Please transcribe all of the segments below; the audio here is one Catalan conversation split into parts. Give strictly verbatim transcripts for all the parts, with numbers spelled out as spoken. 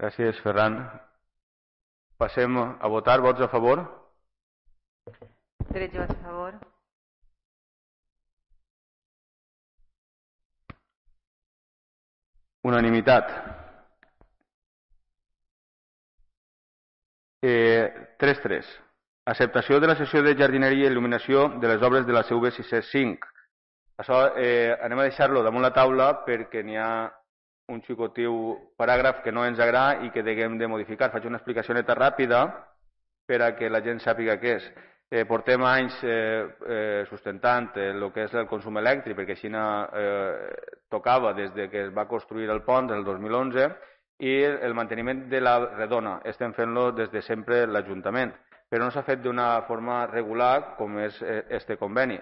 Gràcies, Ferran. Passem a votar. Vots a favor? tretze vots a favor. Unanimitat. Eh, tres tres. Acceptació de la sessió de jardineria i il·luminació de les obres de la C V sis cents cinc. Això eh, anem a deixar-lo damunt la taula perquè n'hi ha un xicotiu paràgraf que no ens agrada i que haguem de modificar. Faig una explicació neta ràpida per a que la gent sàpiga què és. Eh, portem anys eh, eh, sustentant el que és el consum elèctric, perquè així eh, tocava des de que es va construir el pont el dos mil onze, i el manteniment de la redona estem fent-lo des de sempre l'Ajuntament, però no s'ha fet d'una forma regular com és este conveni.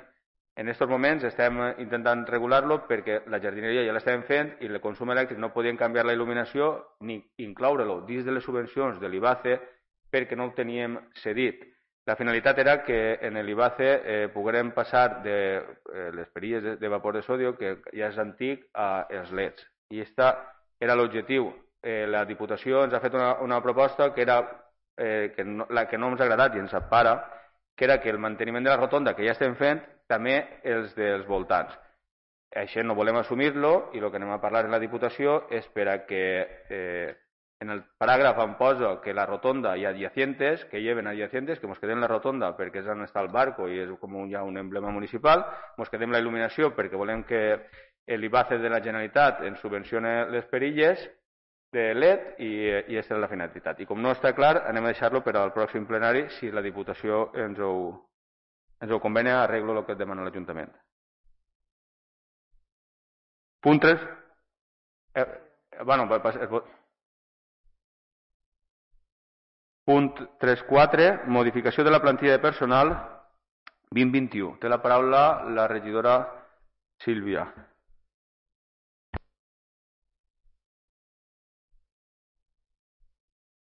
En aquests moments estem intentant regular-lo perquè la jardineria ja l'estem fent i el consum elèctric no podien canviar la il·luminació ni incloure-lo dins de les subvencions de l'I B A C E perquè no ho teníem cedit. La finalitat era que en l'I B A C E eh, poguérem passar de eh, les perilles de, de vapor de sòdio, que ja és antic, a els L E Ds. I aquest era l'objectiu. Eh, la Diputació ens ha fet una, una proposta que era eh, que no, la que no ens ha agradat i ens separa, que era que el manteniment de la rotonda que ja estem fent, també els dels voltants. Això no volem assumir-lo i el que anem a parlar en la Diputació és per a que eh, en el paràgraf em posa que la rotonda i adyacentes, que lleven adyacentes, que ens quedem la rotonda perquè és on està el barco i és com un, ja un emblema municipal, ens quedem la il·luminació perquè volem que l'I B A C E de la Generalitat ens subvencione les perilles de L E D i, i aquesta és la finalitat. I com no està clar, anem a deixar-lo per al pròxim plenari si la Diputació ens ho, ens ho convenia, arreglo el que demana l'Ajuntament. Punt tres. Eh, bueno, punt tres quatre, modificació de la plantilla de personal vint vint-i-u. Té la paraula la regidora Sílvia.